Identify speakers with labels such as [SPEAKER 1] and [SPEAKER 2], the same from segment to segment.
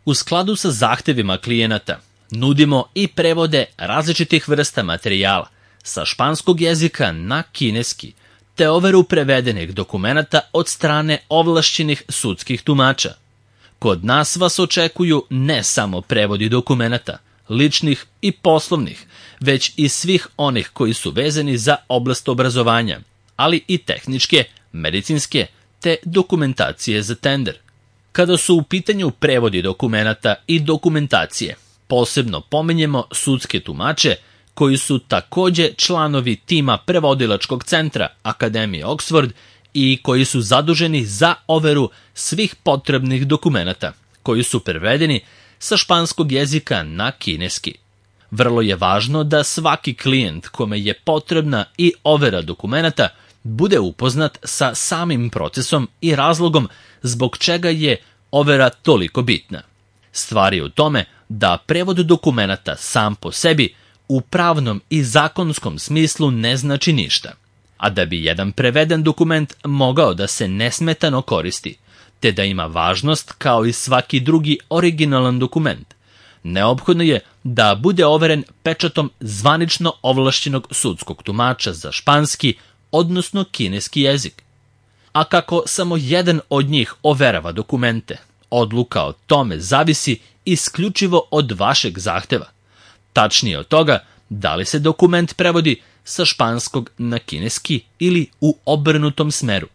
[SPEAKER 1] U skladu sa zahtevima klijenata nudimo i prevode različitih vrsta materijala sa španskog jezika na kineski, te overu prevedenih dokumenata od strane ovlašćenih sudskih tumača. Kod nas vas očekuju ne samo prevodi dokumenata, ličnih i poslovnih, već i svih onih koji su vezani za oblast obrazovanja, ali i tehničke, medicinske, te dokumentacije za tender. Kada su u pitanju prevodi dokumenata i dokumentacije, posebno pominjemo sudske tumače, koji su takođe članovi tima prevodilačkog centra Akademije Oxford i koji su zaduženi za overu svih potrebnih dokumenata, koji su prevedeni sa španskog jezika na kineski. Vrlo je važno da svaki klijent kome je potrebna i overa dokumenata bude upoznat sa samim procesom i razlogom zbog čega je overa toliko bitna. Stvar je u tome da prevod dokumenata sam po sebi u pravnom i zakonskom smislu ne znači ništa, a da bi jedan preveden dokument mogao da se nesmetano koristi, te da ima važnost kao i svaki drugi originalan dokument, neophodno je da bude overen pečatom zvanično ovlašćenog sudskog tumača za španski, odnosno kineski jezik. A kako samo jedan od njih overava dokumente, odluka o tome zavisi isključivo od vašeg zahteva. Tačnije od toga da li se dokument prevodi sa španskog na kineski ili u obrnutom smeru.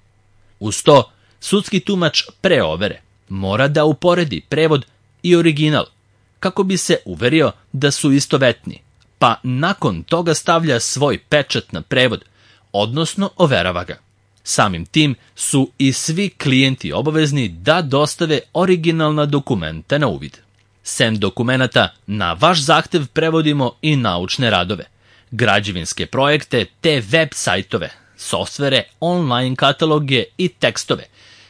[SPEAKER 1] Uz to, sudski tumač pre overe mora da uporedi prevod i original kako bi se uverio da su istovetni, pa nakon toga stavlja svoj pečat na prevod, odnosno overava ga. Samim tim su i svi klijenti obavezni da dostave originalna dokumenta na uvid. Sem dokumenata, na vaš zahtev prevodimo i naučne radove, građevinske projekte te web sajtove, softvere, online kataloge i tekstove,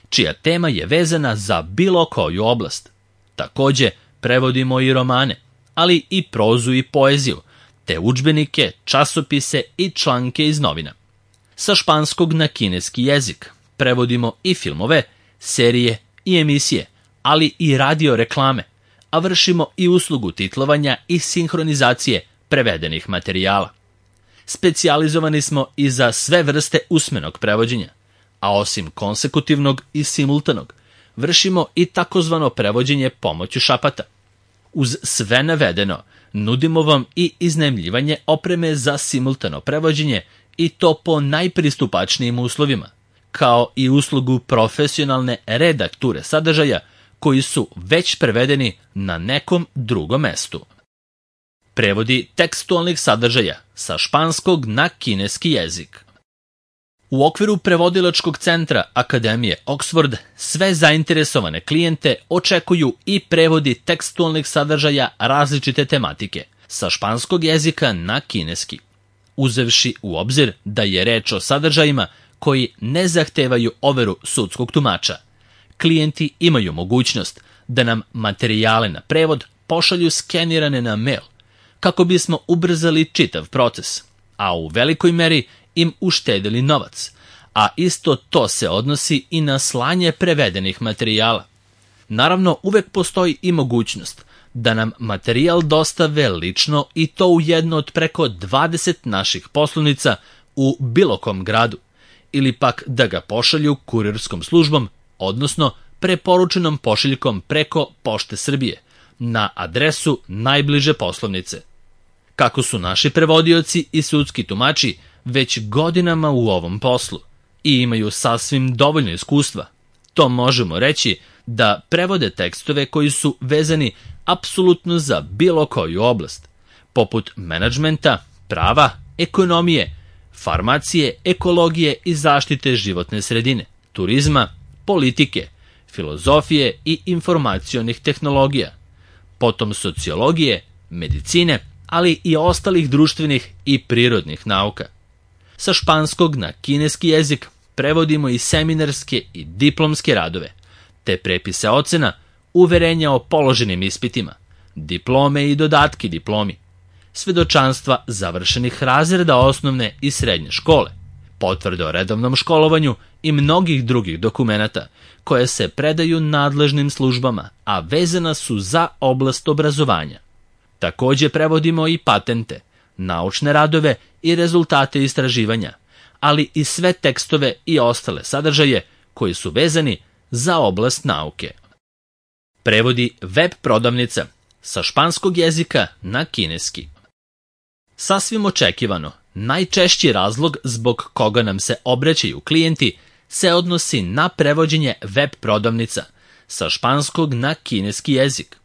[SPEAKER 1] čija tema je vezana za bilo koju oblast. Takođe, prevodimo i romane, ali i prozu i poeziju, te udžbenike, časopise i članke iz novina. Sa španskog na kineski jezik prevodimo i filmove, serije i emisije, ali i radio reklame, a vršimo i uslugu titlovanja i sinhronizacije prevedenih materijala. Specijalizovani smo i za sve vrste usmenog prevođenja, a osim konsekutivnog i simultanog, vršimo i takozvano prevođenje pomoću šapata. Uz sve navedeno, nudimo vam i iznajmljivanje opreme za simultano prevođenje i to po najpristupačnijim uslovima, kao i uslugu profesionalne redakture sadržaja koji su već prevedeni na nekom drugom mestu. Prevodi tekstualnih sadržaja sa španskog na kineski jezik. U okviru prevodilačkog centra Akademije Oxford sve zainteresovane klijente očekuju i prevodi tekstualnih sadržaja različite tematike sa španskog jezika na kineski, uzevši u obzir da je reč o sadržajima koji ne zahtevaju overu sudskog tumača. Klijenti imaju mogućnost da nam materijale na prevod pošalju skenirane na mail, kako bismo ubrzali čitav proces, a u velikoj meri im uštedili novac, a isto to se odnosi i na slanje prevedenih materijala. Naravno, uvek postoji i mogućnost da nam materijal dostave lično i to u jedno od preko 20 naših poslovnica u bilo kom gradu, ili pak da ga pošalju kurirskom službom, odnosno preporučenom pošiljkom preko Pošte Srbije, na adresu najbliže poslovnice. Kako su naši prevodioci i sudski tumači već godinama u ovom poslu i imaju sasvim dovoljno iskustva, to možemo reći da prevode tekstove koji su vezani apsolutno za bilo koju oblast, poput menadžmenta, prava, ekonomije, farmacije, ekologije i zaštite životne sredine, turizma, politike, filozofije i informacionih tehnologija, potom sociologije, medicine, ali i ostalih društvenih i prirodnih nauka. Sa španskog na kineski jezik prevodimo i seminarske i diplomske radove, te prepise ocena, uverenja o položenim ispitima, diplome i dodatki diplomi, svedočanstva završenih razreda osnovne i srednje škole, potvrde o redovnom školovanju i mnogih drugih dokumenata koje se predaju nadležnim službama, a vezana su za oblast obrazovanja. Takođe prevodimo i patente, naučne radove i rezultate istraživanja, ali i sve tekstove i ostale sadržaje koji su vezani za oblast nauke. Prevodi web prodavnica sa španskog jezika na kineski. Sasvim očekivano, najčešći razlog zbog koga nam se obraćaju klijenti se odnosi na prevođenje web prodavnica sa španskog na kineski jezik.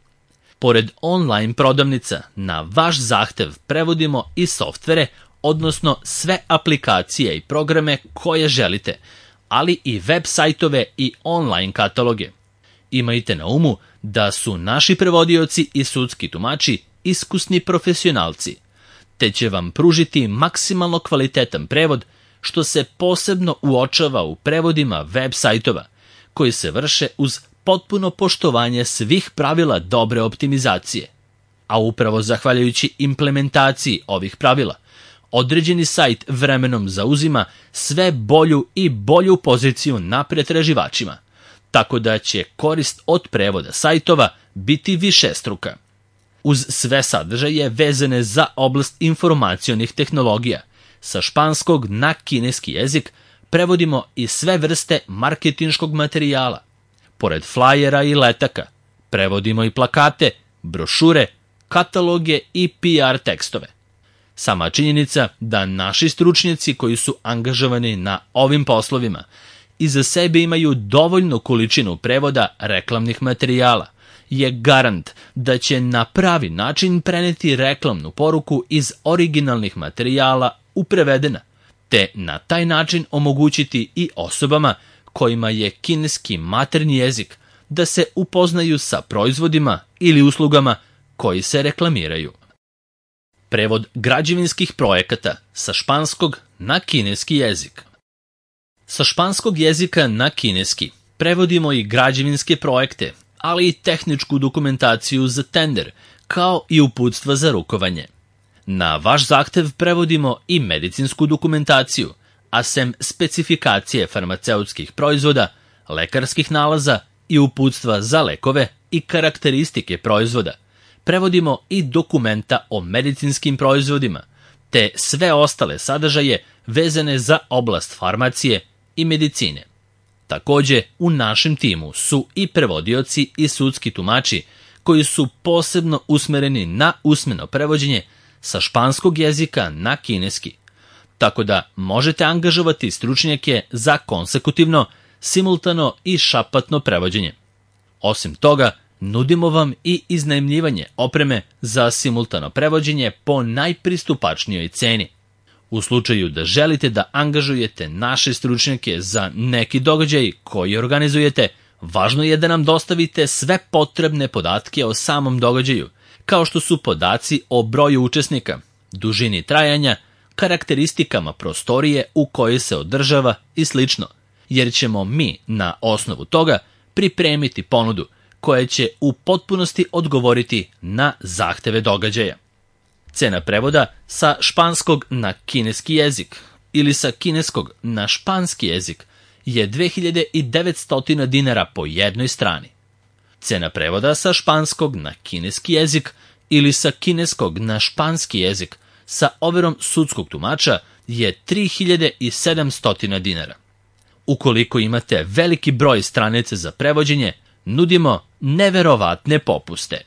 [SPEAKER 1] Pored online prodavnica, na vaš zahtev prevodimo i softvere, odnosno sve aplikacije i programe koje želite, ali i web sajtove i online kataloge. Imajte na umu da su naši prevodioci i sudski tumači iskusni profesionalci, te će vam pružiti maksimalno kvalitetan prevod, što se posebno uočava u prevodima web sajtova, koji se vrše uz potpuno poštovanje svih pravila dobre optimizacije. A upravo zahvaljujući implementaciji ovih pravila, određeni sajt vremenom zauzima sve bolju i bolju poziciju na pretraživačima, tako da će korist od prevoda sajtova biti višestruka. Uz sve sadržaje vezane za oblast informacionih tehnologija, sa španskog na kineski jezik prevodimo i sve vrste marketinškog materijala. Pored flajera i letaka, prevodimo i plakate, brošure, kataloge i PR tekstove. Sama činjenica da naši stručnjaci koji su angažovani na ovim poslovima iza sebe imaju dovoljnu količinu prevoda reklamnih materijala je garant da će na pravi način preneti reklamnu poruku iz originalnih materijala u prevedena, te na taj način omogućiti i osobama kojima je kineski maternji jezik da se upoznaju sa proizvodima ili uslugama koji se reklamiraju. Prevod građevinskih projekata sa španskog na kineski jezik. Sa španskog jezika na kineski prevodimo i građevinske projekte, ali i tehničku dokumentaciju za tender, kao i uputstva za rukovanje. Na vaš zahtev prevodimo i medicinsku dokumentaciju, a sem specifikacije farmaceutskih proizvoda, lekarskih nalaza i uputstva za lekove i karakteristike proizvoda, prevodimo i dokumenta o medicinskim proizvodima, te sve ostale sadržaje vezane za oblast farmacije i medicine. Takođe, u našem timu su i prevodioci i sudski tumači koji su posebno usmereni na usmeno prevođenje sa španskog jezika na kineski, tako da možete angažovati stručnjake za konsekutivno, simultano i šapatno prevođenje. Osim toga, nudimo vam i iznajmljivanje opreme za simultano prevođenje po najpristupačnijoj ceni. U slučaju da želite da angažujete naše stručnjake za neki događaj koji organizujete, važno je da nam dostavite sve potrebne podatke o samom događaju, kao što su podaci o broju učesnika, dužini trajanja, karakteristikama prostorije u kojoj se održava i sl., jer ćemo mi na osnovu toga pripremiti ponudu koja će u potpunosti odgovoriti na zahteve događaja. Cena prevoda sa španskog na kineski jezik ili sa kineskog na španski jezik je 2900 dinara po jednoj strani. Cena prevoda sa španskog na kineski jezik ili sa kineskog na španski jezik sa overom sudskog tumača je 3700 dinara. Ukoliko imate veliki broj stranica za prevođenje, nudimo neverovatne popuste.